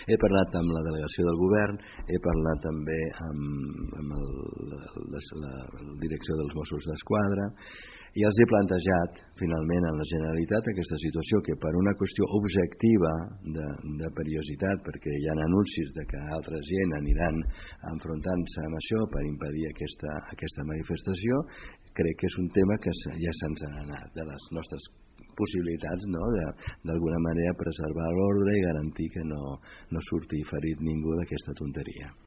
He parlat amb la delegació del govern, he parlat també amb la direcció dels Mossos d'Esquadra i els he plantejat finalment a la Generalitat aquesta situació que per una qüestió objectiva de perillositat, perquè hi ha anuncis de que altra gent aniran enfrontant-se amb això per impedir aquesta manifestació, crec que és un tema que ja se'ns ha anat de les nostres possibilitats, no? D'alguna manera preservar l'ordre i garantir que no surti ferit ningú d'aquesta tonteria.